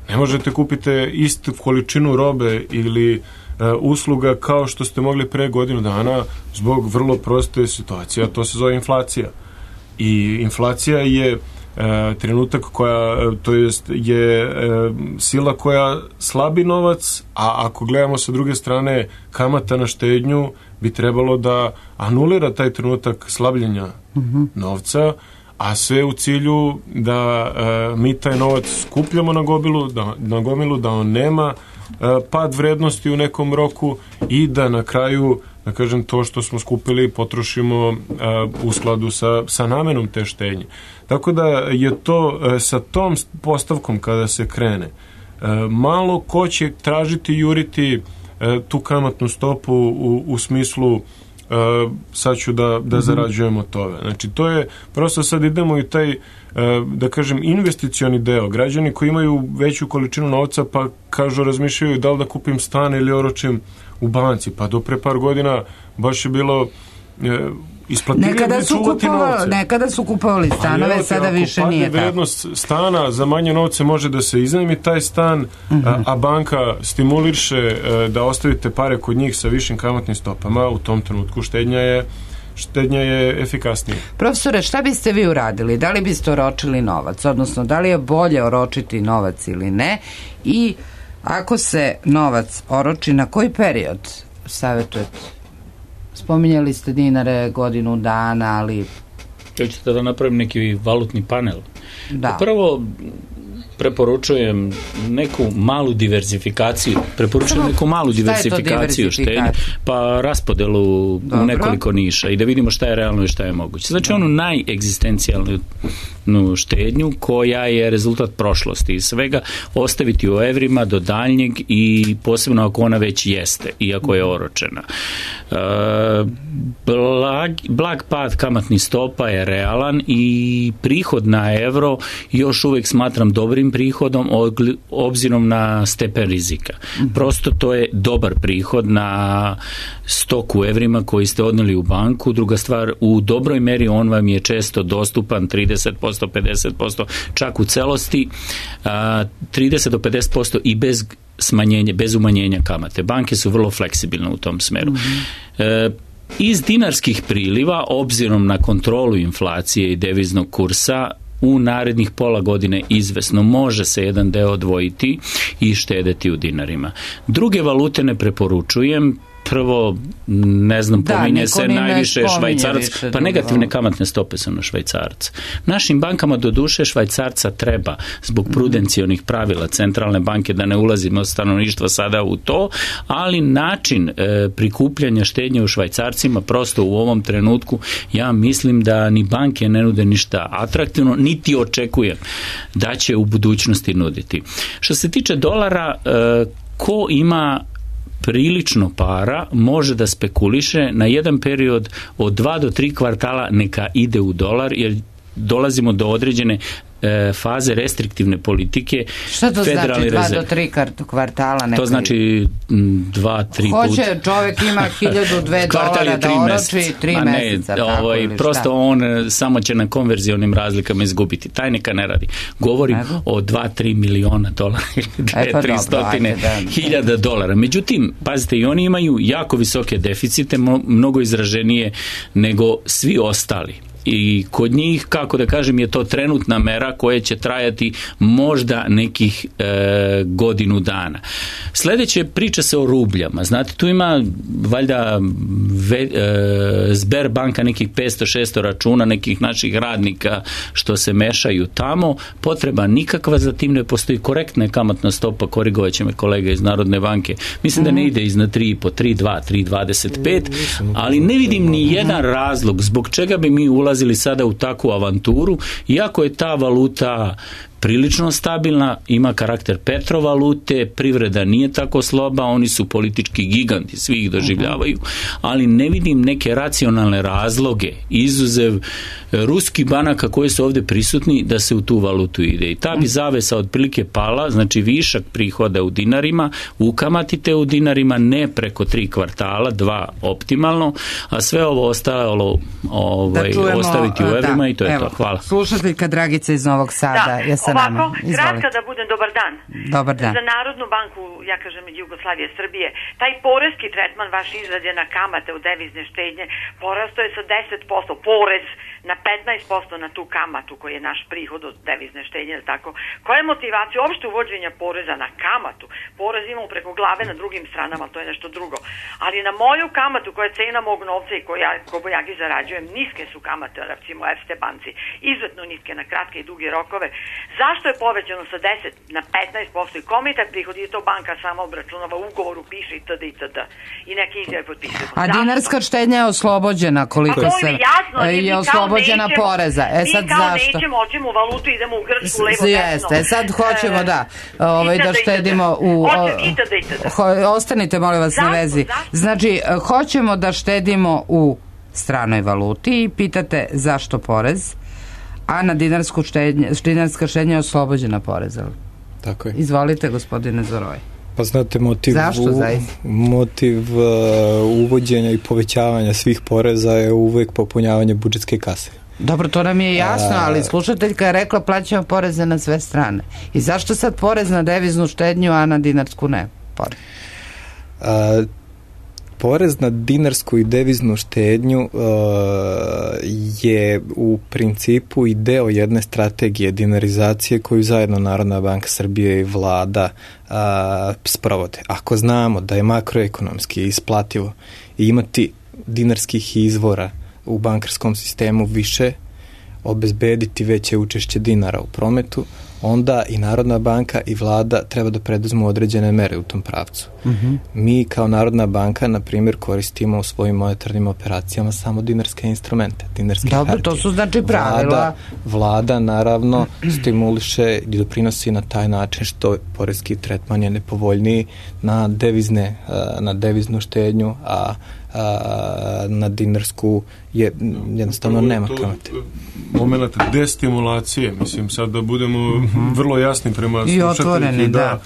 ne možete kupiti istu količinu robe ili usluga kao što ste mogli pre godinu dana zbog vrlo proste situacije, a to se zove inflacija. I inflacija je trenutak koja, to je sila koja slabi novac, a ako gledamo sa druge strane kamata na štednju bi trebalo da anulira taj trenutak slabljenja novca, a sve u cilju da mi taj novac skupljamo na gomilu, da on nema pad vrednosti u nekom roku i da na kraju, da kažem, to što smo skupili potrošimo u skladu sa namenom te štednje. Tako da je to sa tom postavkom kada se krene, malo ko će tražiti juriti tu kamatnu stopu u smislu sad ću da zarađujem od toga. Znači, to je, prosto sad idemo i taj, da kažem, investicioni deo. Građani koji imaju veću količinu novca pa kažu, razmišljaju da li da kupim stan ili oročim u banci. Pa do pre par godina baš je bilo Nekada su kupovali stanove, sada više nije tako. Vrednost stana za manje novce može da se iznajmi taj stan, a banka stimuliše da ostavite pare kod njih sa višim kamatnim stopama. U tom trenutku štednja je efikasnija. Profesore, šta biste vi uradili? Da li biste oročili novac? Odnosno, da li je bolje oročiti novac ili ne? I ako se novac oroči, na koji period savjetujete? Spominjali ste dinare, godinu dana, ali... Hoćete da napravim neki valutni panel? Da. Prvo, preporučujem neku malu diversifikaciju. Štednje, pa raspodelu u nekoliko niša i da vidimo šta je realno i šta je moguće. Znači onu najegzistencijalnu štednju koja je rezultat prošlosti i svega ostaviti u evrima do daljnjeg i posebno ako ona već jeste i ako je oročena. Blag pad kamatnih stopa je realan i prihod na evro još uvijek smatram dobrim prihodom obzirom na stepen rizika. Prosto to je dobar prihod na stok u evrima koji ste odnijeli u banku. Druga stvar, u dobroj meri on vam je često dostupan 30%, 50%, čak u celosti 30 do 50% i bez umanjenja kamate. Banke su vrlo fleksibilne u tom smeru. Iz dinarskih priliva, obzirom na kontrolu inflacije i deviznog kursa, u narednih pola godine izvesno može se jedan deo odvojiti i štedeti u dinarima. Druge valute ne preporučujem. Prvo, ne znam, pominje se najviše švajcarac, pa negativne kamatne stope su na švajcarca. Našim bankama do duše švajcarca treba zbog prudencionih pravila centralne banke, da ne ulazimo stanovništva sada u to, ali način prikupljanja štednje u švajcarcima prosto u ovom trenutku, ja mislim da ni banke ne nude ništa atraktivno, niti očekujem da će u budućnosti nuditi. Što se tiče dolara, ko ima prilično para može da spekuliše na jedan period od 2 do 3 kvartala, neka ide u dolar, jer dolazimo do određene faze restriktivne politike. Šta to znači 2 do 3 kvartala? To znači 2-3 Hoće čovjek ima $1,002 da oroči 3 meseca. Prosto on samo će na konverzionim razlikama izgubiti. Taj neka ne radi. Govorim o $2-3 miliona ili 200-300 dolara. Međutim, pazite, i oni imaju jako visoke deficite, mnogo izraženije nego svi ostali. I kod njih, kako da kažem, je to trenutna mera koja će trajati možda nekih godinu dana. Sljedeće priča se o rubljama. Znate, tu ima valjda Sberbanka nekih 500-600 računa nekih naših radnika što se mešaju tamo. Potreba nikakva za tim ne postoji. Korektna je kamatna stopa, korigovat će me kolega iz Narodne banke. Mislim da ne ide iznad 3,5, 3,2, 3,25, ali ne vidim ni jedan razlog zbog čega bi mi ulazili sada u takvu avanturu, iako je ta valuta prilično stabilna, ima karakter petrovalute, privreda nije tako sloba, oni su politički giganti, svi ih doživljavaju, ali ne vidim neke racionalne razloge, izuzev ruskih banaka koje su ovdje prisutni, da se u tu valutu ide. I ta bi zavesa otprilike pala, znači višak prihoda u dinarima, ukamatite u dinarima, ne preko 3 kvartala, 2 optimalno, a sve ovo ostalo ostaviti u evrima i to je to. Hvala. Slušateljka Dragica iz Novog Sada je sa nama. Ovako, kratka da budem, dobar dan. Dobar dan. Za Narodnu banku, ja kažem Jugoslavije, Srbije, taj porezki tretman vaš izrađen na kamate u devizne štednje porasto je sa 10%, porez na 15% na tu kamatu koji je naš prihod od devizne štednje, tako. Koja je motivacija uopšte uvođenja poreza na kamatu? Porez imamo preko glave na drugim stranama, to je nešto drugo. Ali na moju kamatu koja je cena mog novca i koju ja zarađujem, niske su kamate, recimo Erste banci, izuzetno niske na kratke i duge rokove. Zašto je povećano sa 10 na 15% i kome je taj prihod? Je to banka sama obračunava, ugovoru piše itd. I neke izjave potpisuju. A dinarska štednja je oslobođena koliko se... je oslobođena poreza. Sad zašto? Mi kao nećemo valutu, idemo u Grčku, levo, desno. Sad hoćemo da štedimo u... Ostanite, molim vas, na vezi. Znači, hoćemo da štedimo u stranoj valuti i pitate zašto porez, a na dinarska štednja je oslobođena poreza. Tako je. Izvolite, gospodine Zoroj. Pa znate, motiv uvođenja i povećavanja svih poreza je uvek popunjavanje budžetske kase. Dobro, to nam je jasno, ali slušateljka je rekla plaćamo poreze na sve strane. I zašto sad porez na deviznu štednju, a na dinarsku ne? Porez na dinarsku i deviznu štednju je u principu i deo jedne strategije dinarizacije koju zajedno Narodna banka Srbije i vlada sprovode. Ako znamo da je makroekonomski isplativo imati dinarskih izvora u bankarskom sistemu više, obezbediti veće učešće dinara u prometu, onda i Narodna banka i vlada treba da preduzmu određene mere u tom pravcu. Mi kao Narodna banka, na primjer, koristimo u svojim monetarnim operacijama samo dinarske instrumente, dinarske hartije. Dobro, to su znači pravila. Vlada naravno stimuliše i doprinosi na taj način što poreski tretman je nepovoljniji na deviznu štednju, a na dinarsku je jednostavno nema kamate. Moment destimulacije, mislim sad da budemo vrlo jasni prema slušateljki, da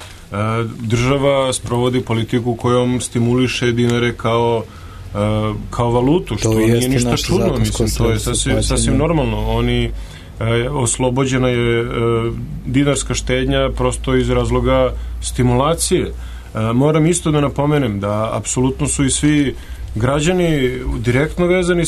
država sprovodi politiku kojom stimuliše dinare kao valutu, što nije ništa čudno, mislim, to je sasvim normalno. Oni oslobođena je dinarska štednja prosto iz razloga stimulacije. Moram isto da napomenem da apsolutno su i svi građani direktno vezani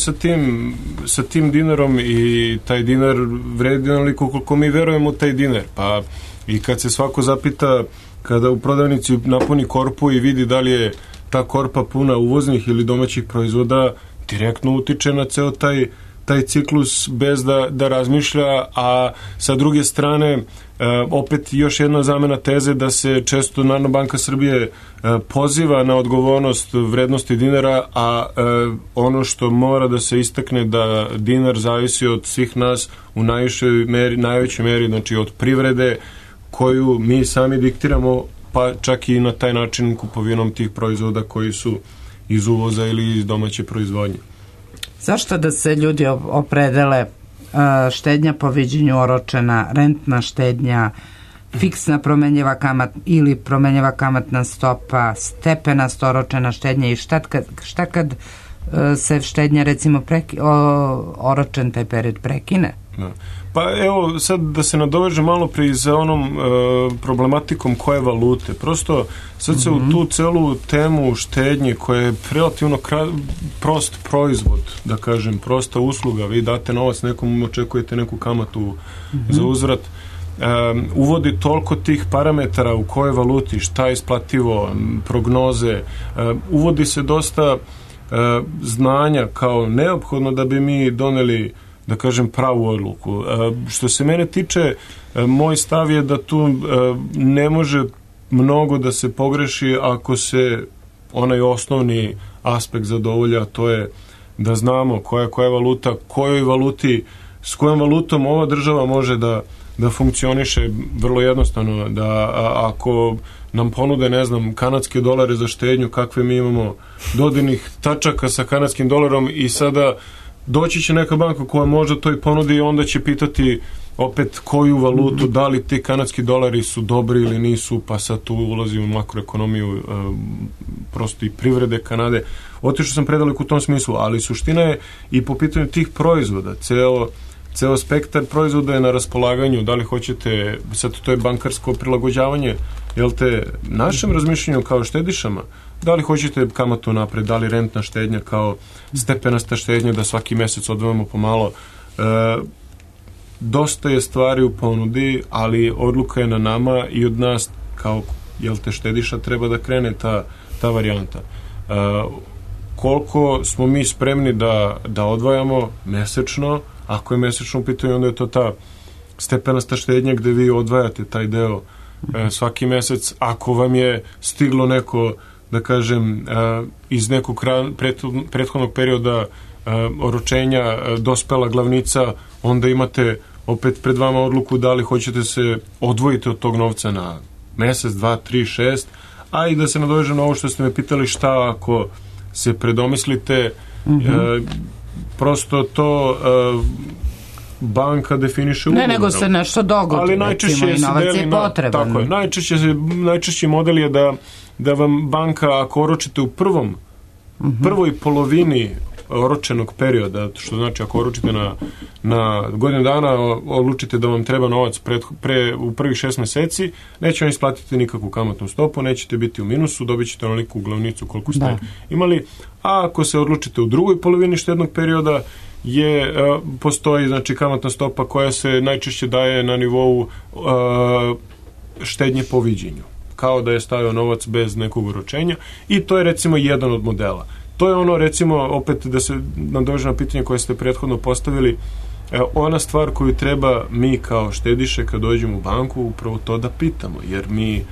sa tim dinarom i taj dinar vredi onoliko koliko mi verujemo u taj dinar. Pa i kad se svako zapita, kada u prodavnici napuni korpu i vidi da li je ta korpa puna uvoznih ili domaćih proizvoda, direktno utiče na ceo taj ciklus bez da razmišlja, a sa druge strane opet još jedna zamena teze da se često Narodna banka Srbije poziva na odgovornost vrednosti dinara, a ono što mora da se istakne da dinar zavisi od svih nas u najvećoj meri, znači od privrede koju mi sami diktiramo, pa čak i na taj način kupovinom tih proizvoda koji su iz uvoza ili iz domaće proizvodnje. Zašto da se ljudi opredele štednja po viđenju oročena, rentna štednja, fiksna promenjiva promenjiva kamatna stopa, stepenast oročena štednja i šta kad se štednja recimo oročen taj period prekine? Pa evo sad da se nadoveže malo prije za onom problematikom koje valute. Prosto sad se u tu celu temu štednje koja je relativno prost proizvod, da kažem, prosta usluga, vi date novac nekom, očekujete neku kamatu za uzvrat, uvodi toliko tih parametara u kojoj valuti, šta je isplativo, prognoze, uvodi se dosta znanja kao neophodno da bi mi doneli, da kažem, pravu odluku. Što se mene tiče, moj stav je da tu ne može mnogo da se pogreši ako se onaj osnovni aspekt zadovolja, to je da znamo koja je valuta, kojoj valuti s kojom valutom ova država može da funkcioniše vrlo jednostavno, da ako nam ponude, ne znam, kanadske dolare za štednju, kakve mi imamo dodirnih tačaka sa kanadskim dolarom, i sada doći će neka banka koja možda to i ponudi i onda će pitati opet koju valutu, da li ti kanadski dolari su dobri ili nisu, pa sad tu ulazi u makroekonomiju prosto i privrede Kanade. Otišao sam predaleko u tom smislu, ali suština je i po pitanju tih proizvoda, ceo spektar proizvoda je na raspolaganju, da li hoćete, sad to je bankarsko prilagođavanje, jel te, našem razmišljanju kao štedišama, da li hoćete kamatu napred, da li rentna štednja kao stepenasta štednja, da svaki mesec odvojamo pomalo. Dosta je stvari u ponudi, ali odluka je na nama i od nas kao, jel te, štediša treba da krene ta varijanta. Koliko smo mi spremni da odvajamo mesečno, ako je mesečno u pitanju, onda je to ta stepenasta štednja gde vi odvajate taj deo svaki mesec. Ako vam je stiglo neko, da kažem, iz nekog prethodnog perioda oročenja dospela glavnica, onda imate opet pred vama odluku da li hoćete se odvojiti od tog novca na mesec, 2, 3, 6, a i da se nadovežem na ovo što ste me pitali, šta ako se predomislite, prosto to banka definiše ugovorom. Ne, nego se nešto dogodi, ali najčešće i novac je potreban. Tako je, najčešći model je da vam banka, ako oročite u prvoj polovini oročenog perioda, što znači ako oročite na godinu dana, odlučite da vam treba novac u prvih 6 meseci, neće vam isplatiti nikakvu kamatnu stopu, nećete biti u minusu, dobit ćete onoliku glavnicu koliko ste imali, a ako se odlučite u drugoj polovini štednog perioda, postoji, znači, kamatna stopa koja se najčešće daje na nivou štednje po viđenju, kao da je stavio novac bez nekog oročenja, i to je recimo jedan od modela. To je ono, recimo, opet da se nadovežem na pitanje koje ste prethodno postavili, ona stvar koju treba mi kao štediše kad dođemo u banku, upravo to da pitamo, jer mi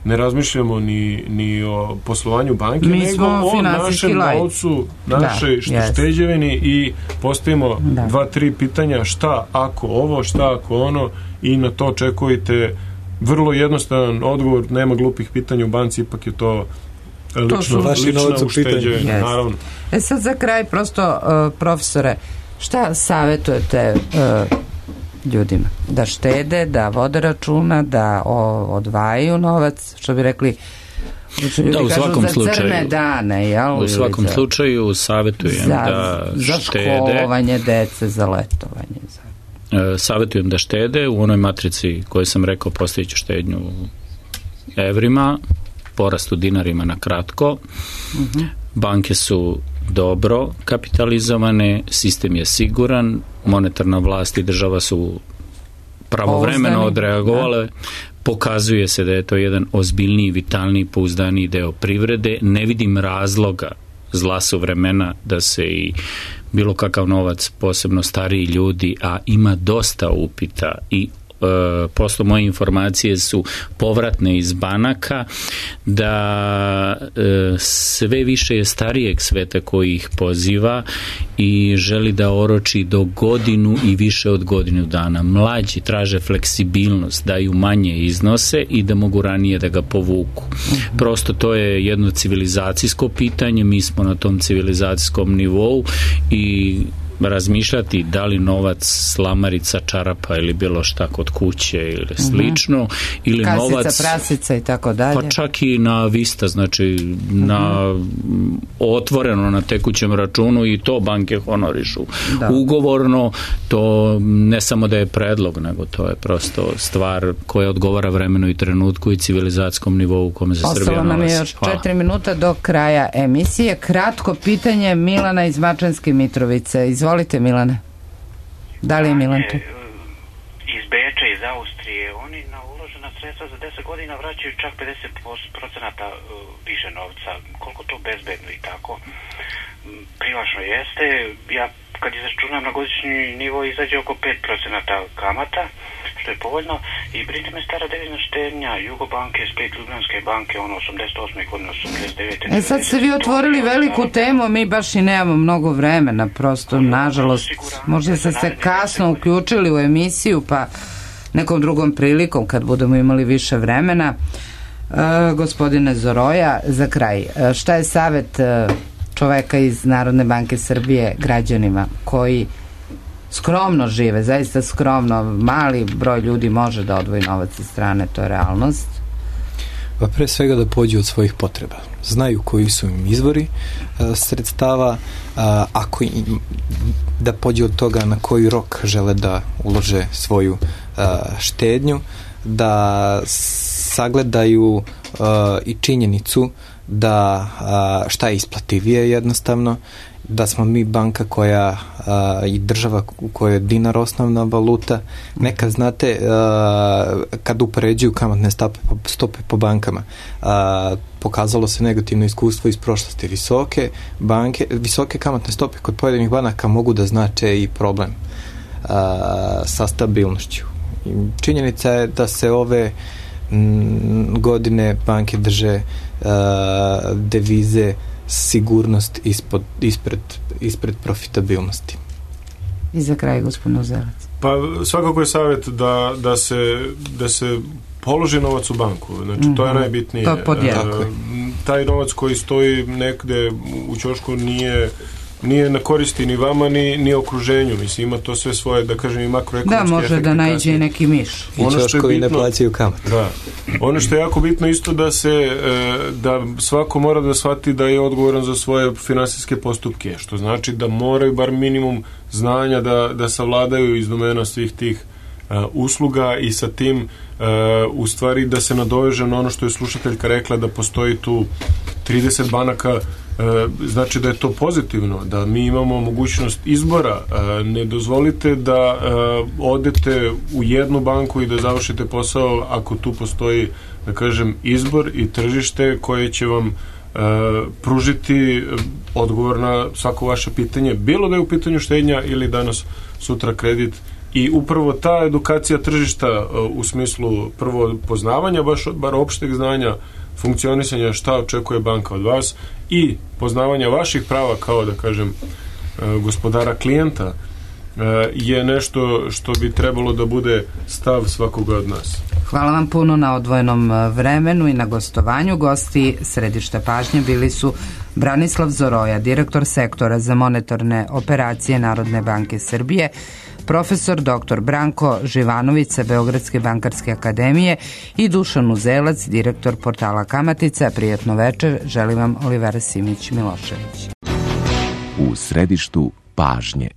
ne razmišljamo ni o poslovanju banke, nego o našem novcu, našoj šteđevini, i postavimo 2-3 pitanja, šta ako ovo, šta ako ono, i na to očekujete vrlo jednostavan odgovor, nema glupih pitanja u banci, ipak je to lično ušteđevina, naravno. Sad za kraj, prosto, profesore, šta savjetujete ljudima? Da štede, da vode računa, da odvajaju novac, što bi rekli, da, u svakom slučaju, crne dane, jel? U svakom slučaju savjetujem da štede. Za školovanje dece, za letovanje. Savjetujem da štede. U onoj matrici koju sam rekao, postavit ću štednju u evrima, porast u dinarima na kratko. Banke su dobro kapitalizovane, sistem je siguran, monetarna vlast i država su pravovremeno odreagovale, pokazuje se da je to jedan ozbiljniji, vitalniji, pouzdaniji deo privrede. Ne vidim razloga, zla su vremena, da se i bilo kakav novac, posebno stariji ljudi, a ima dosta upita i posle moje informacije su povratne iz banaka, da sve više je starijeg sveta koji ih poziva i želi da oroči do godinu i više od godinu dana. Mlađi traže fleksibilnost, daju manje iznose i da mogu ranije da ga povuku. Prosto to je jedno civilizacijsko pitanje, mi smo na tom civilizacijskom nivou i razmišljati da li novac, slamarica, čarapa ili bilo šta kod kuće ili slično, ili kasica, novac, prasica i tako dalje, pa čak i na vista, znači na otvoreno na tekućem računu, i to banke honorišu ugovorno. To ne samo da je predlog, nego to je prosto stvar koja odgovara vremenu i trenutku i civilizacijskom nivou u kome se Srbija nalazi. Ostalo nam je još 4 minuta do kraja emisije. Kratko pitanje Milana iz Mačvanske Mitrovice. Izvolite, Milane. Da li je Milan tu? Iz Beča, iz Austrije, oni na uložena sredstva za 10 godina vraćaju čak 50% više novca. Koliko to bezbedno i tako? Privlačno jeste. Ja kad izračunam na godišnji nivo izađe oko 5% kamata, što je povoljno i brine me stara devizna štednja Jugobanke, Split, Ljubljanske banke, 88. godine, 89. Sad ste vi otvorili veliku temu, mi baš i nemamo mnogo vremena, prosto, nažalost, možda ste se kasno uključili u emisiju, pa nekom drugom prilikom kad budemo imali više vremena. Gospodine Zoroja, za kraj, šta je savjet čoveka iz Narodne banke Srbije građanima koji skromno žive, zaista skromno, mali broj ljudi može da odvoji novac iz strane, to je realnost? Pa pre svega da pođu od svojih potreba. Znaju koji su im izvori sredstava, ako da pođu od toga na koji rok žele da ulože svoju štednju, da sagledaju i činjenicu da šta je isplativije jednostavno, da smo mi banka koja i država u kojoj je dinar osnovna valuta. Nekad, znate, kad upoređuju kamatne stope po bankama, pokazalo se negativno iskustvo iz prošlosti. Visoke kamatne stope kod pojedinih banaka mogu da znače i problem sa stabilnošću. Činjenica je da se ove godine banke drže devize sigurnost ispred profitabilnosti. I za kraj, gospodin Uzelac. Pa svakako je savjet da se položi novac u banku. Znači, to je najbitnije. Taj novac koji stoji negde u ćošku nije na koristi ni vama ni okruženju. Mislim, ima to sve svoje, da kažem, i makroekonomske efekte. Da, može da naiđe i neki miš. I ćoškovi ne plaćaju kamat. Da. Ono što je jako bitno isto da svako mora da shvati da je odgovoran za svoje finansijske postupke, što znači da moraju bar minimum znanja da savladaju iz domena svih tih usluga i sa tim u stvari da se nadoveže na ono što je slušateljka rekla, da postoji tu 30 banaka, znači da je to pozitivno, da mi imamo mogućnost izbora. Ne dozvolite da odete u jednu banku i da završite posao ako tu postoji, da kažem, izbor i tržište koje će vam pružiti odgovor na svako vaše pitanje, bilo da je u pitanju štednja ili danas sutra kredit. I upravo ta edukacija tržišta u smislu prvo poznavanja bar opšteg znanja, funkcionisanja šta očekuje banka od vas i poznavanja vaših prava kao, da kažem, gospodara klijenta je nešto što bi trebalo da bude stav svakoga od nas. Hvala vam puno na odvojenom vremenu i na gostovanju. Gosti Središta pažnje bili su Branislav Zoroja, direktor sektora za monetarne operacije Narodne banke Srbije, profesor dr. Branko Živanović sa Beogradske bankarske akademije i Dušan Uzelac, direktor portala Kamatica. Prijatno večer, želim vam Olivera Simić-Milošević. U središtu pažnje.